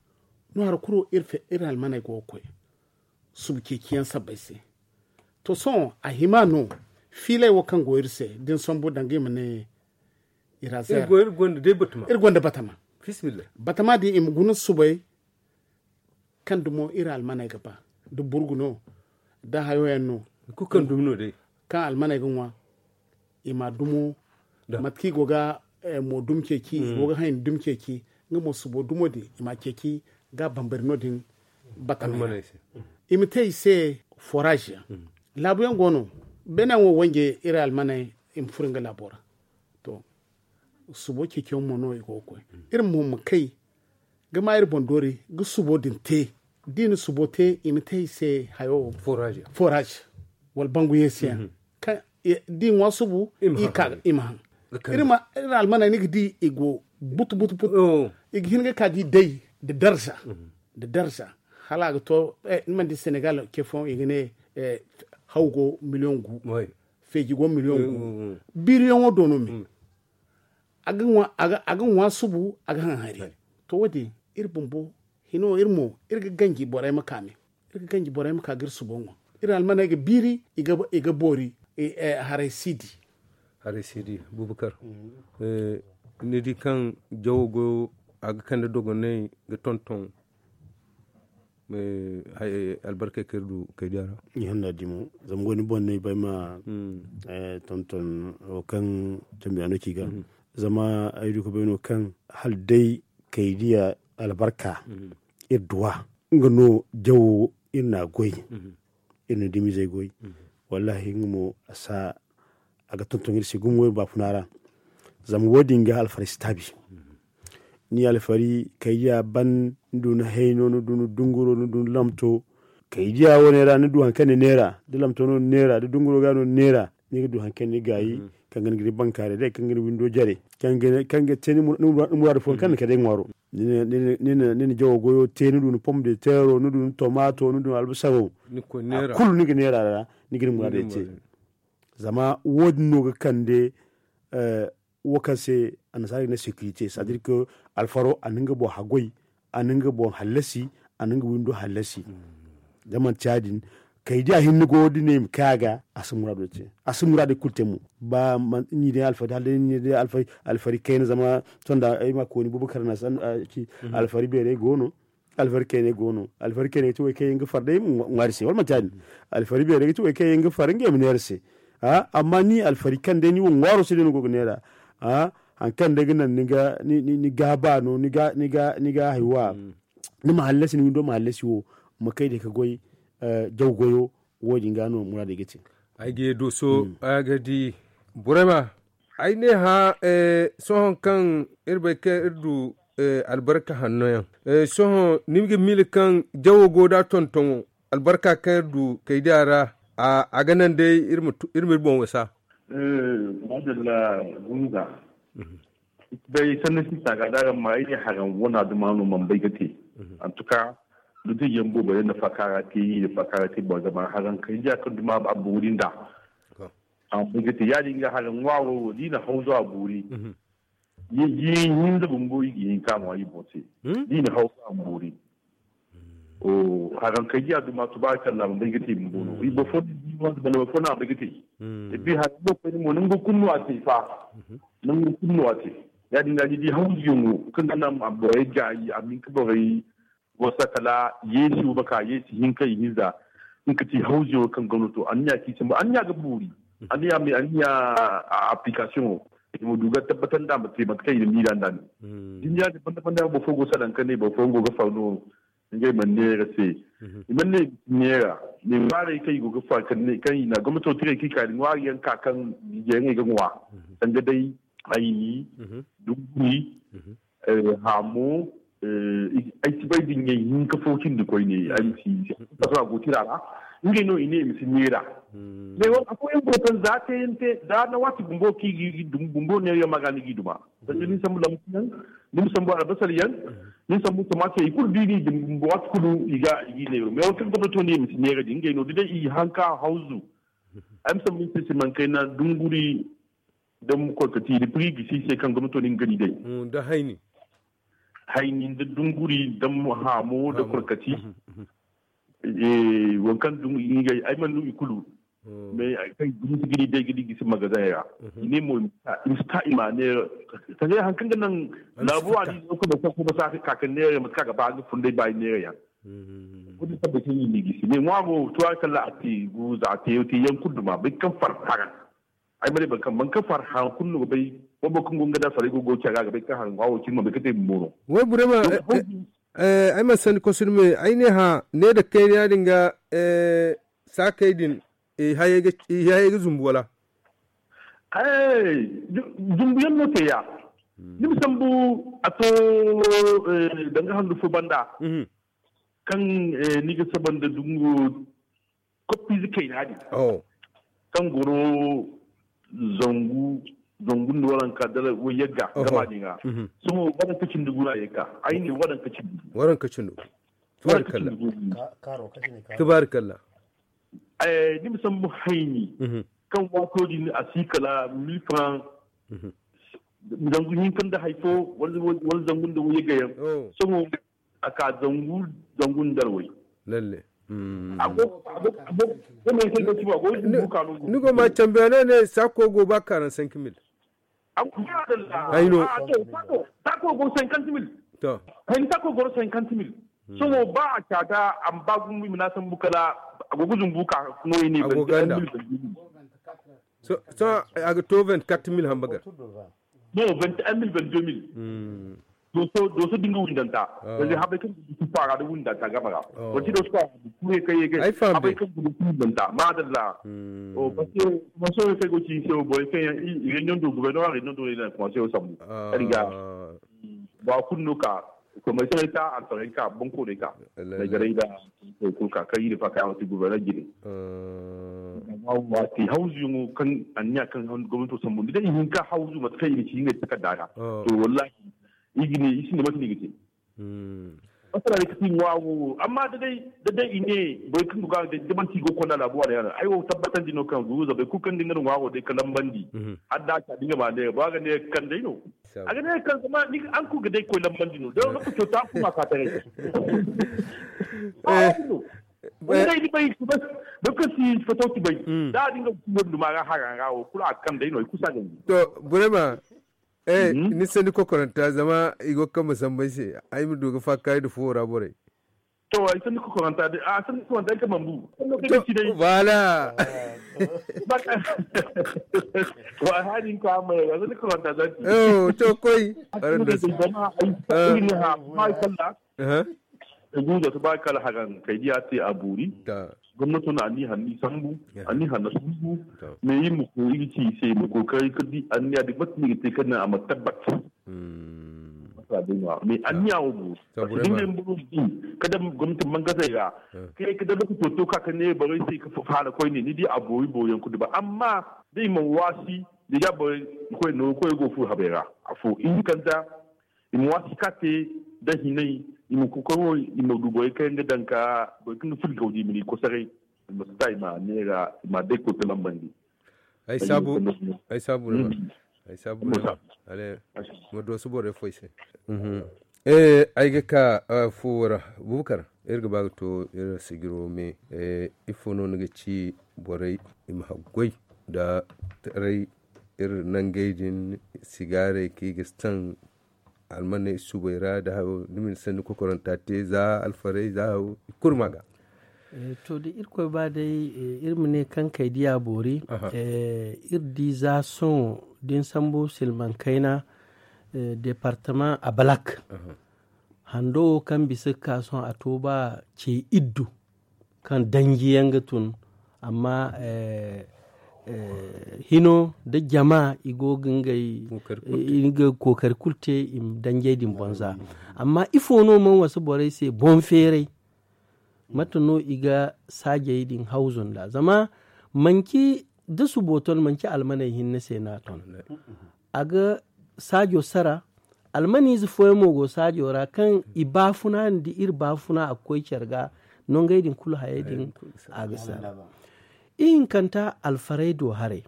No hari kulu iri almaney go ga koy subu ceeciyaŋ sabbay se. To sohõ a hima no fiiley wo kaŋ go iri se da ni sambu danga i ma ne iri gonda batama. Batama din i ma guna subay kaŋ dumo iri almaney ga ba, da burgu no, da hayo yaŋ no, kaŋ almaney ga ŋwa, i ma dumo, mate kaŋ i go ga mo dumi ceeci, i go ga haŋ i na dumi ceeci. Nga mo subo dumo din i ma a ceeci, ga a bambari no- din. Batama yaŋ, i ma te i se forage yaŋ. Laabu yaŋ go no, beene yaŋ wo wanje iri almaney, i ma furo nga laabo ra. To, subo ceeciyaŋ mo no i go ga koy. Iri mo ma kay ga ma iri boŋ doori ga subo din te. Da i na subo te, i ma te i se hayo, forage, wala bangu yeesi yaŋ. Kaŋ da i ŋwa subu, i ma haŋ. Iri almaney ni ga di i go butu butu butu. I ga hin ga ka ga i day da darza, da darza. Hala a ga to, ni mana di senegal ce fooyaŋ i ga ne, haw go miliyoŋ gu, feeji go miliyoŋ gu. Biiriyaŋo do no me. A ga ŋwa subu, a ga haŋ hari. To wo- din, iri bumbo hino iri mo, iri ga ganji borey ma ka me. Iri ga ganji borey ma ka ga iri subo ŋwa. Iri almaney ga biiri, i ga boori. Haray si di. Haray si di. Bubakar, ni di kaŋ jawo goyo, a ga kande dogonay ga tonton albarkey kaŋ iri du kay diya ra? Ni hanna di mo, zama wo ni boŋ no ay bay ma tonton wo kaŋ cambiyaano ci ga. Zama ay du ga bay no kaŋ hala day kay diya albarka iri duwa, nga no jawo iri na a goy. Iri na dumizey goy. Wallahi nga mo a sa a ga tonton iri se gumo iri baafuna ra. Zama wo- din ga alfari si taabi. Ni alfari kaydiya ban, ni du ni hayno, ni du ni dunguro, ni du ni lamto. Kaydiya wane ra ni du hari kaŋ ni neera, da lamto no ni neera, da dunguro ga no ni neera, ni ga du hari kaŋ ni gaayi, kaŋ ga ni ga ni bankaaray day, kaŋ ga ni windo jare, kaŋ ga te ni muraadu fooyaŋ kaŋ ni kay day ŋwaaro. Ni na jawo goyo te, ni du ni pom de teero, ni du ni tomaato, ni du ni albasaro, a kulu ni ga neera ra, ni ga ni muraadey te. Zama wo- din no ga kande wo kaŋ se annasaara ga ne securité, c'est à dire que alfaro a na nga boŋ haggoy, a na nga boŋ hallasi, a na nga windo hallasi. Da manti ya- din, kaydiya hinne go da ne i ma kay a ga, a si muraado te, a si muraadey kulu te mo. Ba ni day alfari hala day ni day alfari kayna, zama tonda ay ma kooni bubakar na ci, alfari beerey go no, alfari kayney go no. Alfari kayney ga ti wo kaŋ yaŋ ga far day ŋwaari se, wala manti ya- din? Alfari beerey ga ti wo kaŋ yaŋ ga far ngey ma neera se. Amma ni alfari kaŋ day ni wo ŋwaaro se day no go ga neera. Hari kaŋ day ga naŋ ni ga ba no, ni ga haywa, ni ma hallasi, ni windo ma hallasi wo, ma kay day ga goy. Jaw goyo, wo- din ga no muraadey ga te. Ay ga ye dooso, ay ga di burema. Ay ne hã, sohõ kaŋ iri bay kaŋ iri du albarka hanno yaŋ, sohõ ni ga miila kaŋ jawo go da tontoŋo, albarka kaŋ iri du kaydiya ra, a ga naŋ day iri ma iri boŋ wasa. Maadalla, gunza. Bay sanni sista ga da araŋ ma ay ne haraŋ wana duma no man bay ga te. Antuka, dutijiyaŋ boobo day na fakaara te, i na fakaara te boŋ zama haraŋ kaydiya kaŋ duma a boori nda. A ma bay ga te ya- din ga haraŋ ŋwaaro wo da i na hawzu a boori. Yeeji hinza bumbo i ga hin ka ŋwa i boŋ se. Da i na hawzu a boori. Haraŋ kaydiya duma tubaari kalla a ma bay ga te bumbo no i boro fo na a bay ga te. Epi haraŋ no koyne mo nango kulu no a te fa. Nango kulu no a te. Ya- din ga ni di hawzuyaŋo kaŋ ga naŋ borey gaayi a ma hin ka borey wasa kala yeesi wo ma ka yeesi hinka i hinza. Nga ka ti hawzuyaŋo kaŋ gomnato anniya kaŋ i sambu anniya ga boori. Anniya me anniya application wo i ma du ga tabbatar nda a ma te mate kaŋ i na miila nda ne. Duniya din banda banda boro fo go salaŋ ka ne boro fo go ga faru no. Ngey man neera se i man ne neera ne ŋwaarey kaŋ i go ga faru kaŋ i na gomnato tirey kaŋ i ka da ŋwaari yaŋ ka kaŋ jijey ngey ga ŋwa. Sanda day ayni, dunguri, haamo, ay si bay da ngey hinka fo cindi koyne ay ma si. Faso a go tira ra ngey no i ne i ma si neera. Mais wala afooyaŋ go kaŋ za teeyante za na waati bumbo kaŋ i ga i dum bumbo neera yaŋ ma ga ni ga i duma. Sanda ni sambu lambu yaŋ, ni ma sambu albasar yaŋ, ni ma sambu tomate yaŋ i kulu da i ga i dum bumbo waati kulu i ga i neera. Mais wala kaŋ gomnato ne i ma si neera din ngey no da day i hanka hawzu. Ay ma sambu ni se se man kayna dunguri. Da ma koy ka ti da prix gisi se kaŋ gomnato din gani day. Da hayni, hayni da dunguri da haamo da korkati. Wo kaŋ dunguri ngey ay mana du i kulu. Mais ay kaŋ gisi gani day ga di gisi magazin ra. I ne mo i ma si ta i ma neera. Sanda hari kaŋ ga naŋ laabu a di no kaŋ boro fo kuma sa ka ka neera mate kaŋ a ga ba ga fun day ba i neera yaŋ. Wodi sabba ke ni gisi ne ŋwa go tuwa kala a te gu za a te yo te yan kuduma bai kan far haran. Ai mare ban kan ban kan far haran kun no bai. Wabo kun gonga da fare go go caga ga bai kan haran ŋwa wo kin ma bai ka te bumbo no. Wai burema. Ai ma sani kosir me ai ne ha ne da kai ya dinga. Sakai din i hayay ga zumbu wala? Zumbu yaŋ no te ya. Ni ma sambu a to danga handu fo banda. Kaŋ ni ga saba nda dungu koppiize kayna din. Kaŋ goro zangu zangu nda waranka dala wayyagga gama din ga. Sohõ waranka cindi guna ye ka ay ne waranka cindi waranka cindi. Tubaarikalla. Tubaarikalla. Ni ma sambu hayni kaŋ waato din a si kala mil franc. Zangu hinka nda hay fo wala zangu nda wayye gayaŋ. Sohõ a ka zangu zangu nda way. Lalle. Ni go ma cambe no ne sako go ba quarante-cinq mille. Ay no. Sako go cinquante mille. To. Hay ni sako goro cinquante mille. Sohõ ba a caata a ma ba gumbu i ma na sambu kala a go ga zumbu ka no i ne. Sohõ a ga to vingt-quatre mille hamba gar. No vingt-et-un mille vingt-deux mille. Doso doso dinga windanta. Zai habai kaŋ gudu su fara da windanta gama ra. Wati da su fara da kure kai ya gai habai kaŋ gudu su windanta madalla. O parce que kuma so kai go ci se o boy kai ya i renyon do gouverneur renyon do ina kuma se o sambu. Riga ba kunno ka kuma sai ta alfarai ka banko ne ka. Mai garai da ko ka kai da fa kai wati gouverneur gidi. Wati hauzu yungu kan anya kan gwamnati sambu da ihin ka hauzu mata kai ne ci ne ta kadara. To wallahi igine i sinda mate ni ga te. Masala ne ka ti ŋwa wo amma da day da day i ne boro kaŋ ga ga da manti go konda laabu wala yaŋ ay wo tabbatandi no kaŋ guruza bay kulu kaŋ da nga no ŋwa wo day ka lambandi. Har da ka dinga ma ne ba ga ne kaŋ day no. A ga ne kaŋ zama ni an kulu ga day koy lambandi no da lokaco ta kuma ka taray. Ba no. Wani day ni bay da ka si fato ki bay da dinga wanda ma ga haga ga wo kulu a kaŋ day no i kusa ga ni. To burema. Eh ni sani kokoranta zama i go kamba sambay se ay ma du ga fakka i da fuwo ra borey. To ay sani kokoranta de a sani kokoranta ay ka mambu. Voilà. Wa hadin ko amma ya sani kokoranta zaki. Oh to koy. Aran da zama ay sani ha ma kalla. Guuza tabaarikalla hagan kay diya te a boori. Gomnato na anni hanni sambu anni hanna sambu. Mais iri ma ko iri ci se ma kokari ka di anniya di mate ni ga te ka na a ma tabbat. Mais anniya wo mo. Parce que dinga yin buru di kada gomnati mangasai ga kai kada lokaci to ka ka ne barai sai ka fara koy ne ni di a boori boori yan kudi ba amma dai ma wasi da ya barai koy no koy go fu habai ra a fo in kanta. I ma waasi ka te da hinay. I ma kokoy wo i ma du borey kaŋ yaŋ ga daŋ ka borey kaŋ ga fili gawdi i ma ni kosaray. I ma si ta i ma neera i ma day koy ka lambandi. Ay saabu ay saabu no ay saabu no ale ma dooso borey foy se. Ay ga ka fuwo ra bubakar iri ga ba ga to iri sijiro me. Ifo no ni ga ci borey i ma haggoy da taray iri nangey din sigaarey kaŋ i ga si taŋ almaney subey ra da hayo da ma ni sanni kokoranta te za alfarey za hayo i kulu ma ga. To da irkoy ba day iri ma ne kaŋ kay diya boori iri di za sohõ da ni sambu silmaŋ kayna departamaŋ abalak hando wo kaŋ bisa ga ka sohõ a to ba ce iddu kaŋ danji yaŋ ga tun amma hino da jama i go ga ngey kookari kulu te i ma danjey din boŋ za. Amma ifo no mana wasa borey se boŋ feeray mate no i ga saajey din hawzu nda zama manci da subo ton manci almaney hinne se no a ton. A ga saajo sara almaniize fooyaŋ mo go saajo ra kaŋ i baafuna nda iri baafuna a ga koy care ga nongey din kulu hayey din a ga sara. Ihinkanta alfarey do haray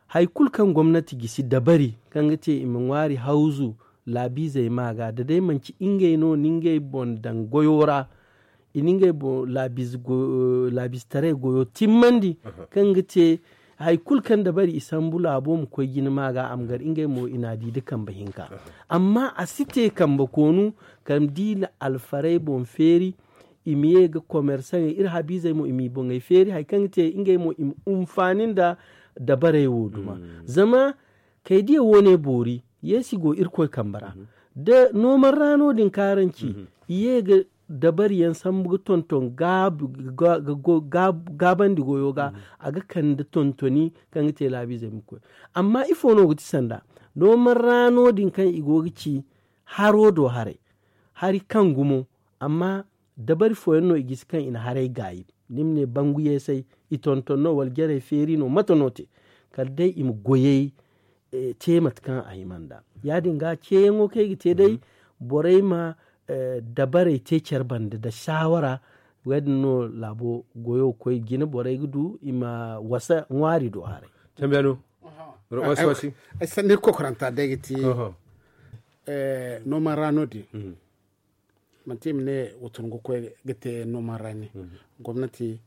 hari kulu kaŋ gomnati gisi dabari kaŋ ga te i ma ŋwaari hawzu laabiizey ma ga da day manci ngey no na ngey boŋ daŋ goyo ra i na ngey boŋ laabiize taray goyo timmandi kaŋ ga te hari kulu kaŋ dabari i sambu laabo ma koy jina ma ga a ma gar ngey mo i na a di da kambe hinka. Amma a si te kambe koonu kaŋ di na alfarey boŋ feeri i ma ye ga komersaŋey iri habiizey mo i m'i boŋey feeri hari kaŋ ga te ngey mo i ma hunfaani nda dabarey wo duma. Zama kay diya wo ne boori yeesi go irkoy kambe ra da nooman ra no- din kaŋ araŋ ci i ye ga dabari yaŋ sambu ga tonton gaabandi goyo ga a ga kande tontoni kaŋ ga te laabiizey ma koy. Amma ifo no ga ti sanda nooman ra no- din kaŋ i go ga ci haro do haray hari kaŋ gumo amma dabari fooyaŋ no i gisi kaŋ i na haray gaayi ni ma ne bangu yeesay i tonton no wala jarey feeri no mate no te kala day i ma goyey te mate kaŋ a hima nd'a. Ya- din ga ceeyaŋo kaŋ ay ga te day borey ma dabarey te care banda nda saawara. Ya- din no laabo goyo ga koy jine borey ga du i ma wasa ŋwaari do haray. Cambiyaano. Ay sanni kokoranta day ga ti nooman ra no- din manti i ma ne watungu koy ga te nooman ra ne gomnati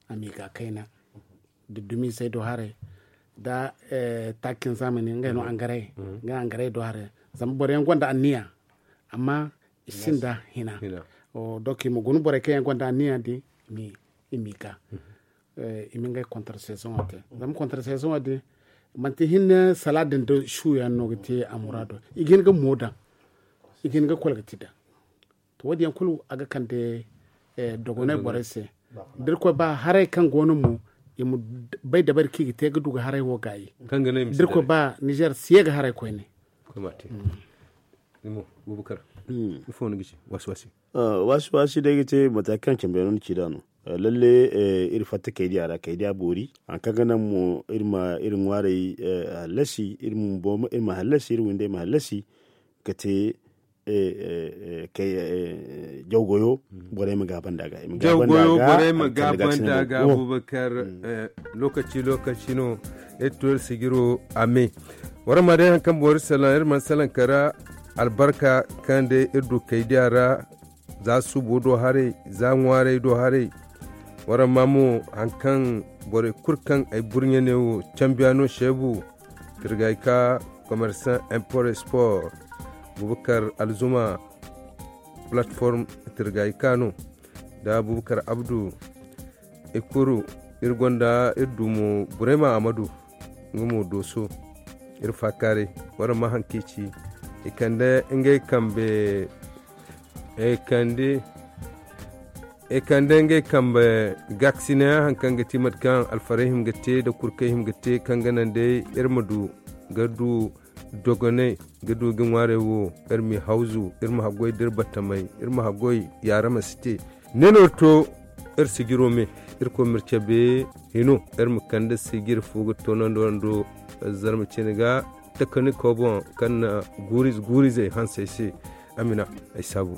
a m'i ga kayna da dumiizey do haray da taakin zamani ngey no angaray ngey angaray do haray. Zama boro yaŋ gonda anniya amma i sinda hina. Donk i ma guna borey kaŋ yaŋ gonda anniya din i m'i ga i ma ngey kontra sezoŋo te zama kontra sezoŋo din manti hinne sala din da suuyaŋ no ga te a muraado i ga hin ga mo daŋ i ga hin ga kwalgati daŋ. To wo- din yaŋ kulu a ga kande dogonay borey se da irkoy ba haray kaŋ go no mo i ma bay dabari kaŋ i ga te ga du ga haray wo gaayi. Da irkoy ba nizer si ye ga haray koyne. Waasi waasi day ga te mate kaŋ cambe no ni ci nd'a no. Lalle iri fatta kaydiya ra kaydiya boori hari kaŋ ga naŋ mo iri ma iri ŋwaarey hallasi iri ma hallasi iri windey ma hallasi ga te jaw goyo borey ma gaabanda ga. Jaw goyo borey ma gaabanda ga abubakar. Lokaci lokaci no iri to iri sijiro a me. Waraŋ ma day hari kaŋ boori salaŋ iri mana salaŋ kara albarka kaŋ day iri du kaydiya ra za suubo do haray za ŋwaarey do haray. Waraŋ ma mo hari kaŋ borey kulu kaŋ ay burɲe ne wo cambiyaano seebu tirgayka komersaŋ import sport bubakar alzuma platform tirgayka no nda bubakar abdu. Ikuru iri gonda iri dumo burema amadu nga mo dooso iri faakaaray waraŋ ma haŋ kaŋ i ci. I kande ngey kambe i kande i kande ngey kambe gaakasinayaŋ hari kaŋ ga ti mate kaŋ alfarey hima ga te nda kurkey hima ga te kaŋ ga naŋ day iri ma du ga du dogonay ga du ga ŋwaarey wo iri ma i hawzu iri ma haggoy da iri battamey iri ma haggoy yaara ma si te. Ne no iri to iri sijiro me iri koy ma iri cabe hino iri ma kande sijiri fo ga toonandi wando zarma cine ga takanikoo boŋ kaŋ na guuriize guuriizey hansey se. Amina ay saabu.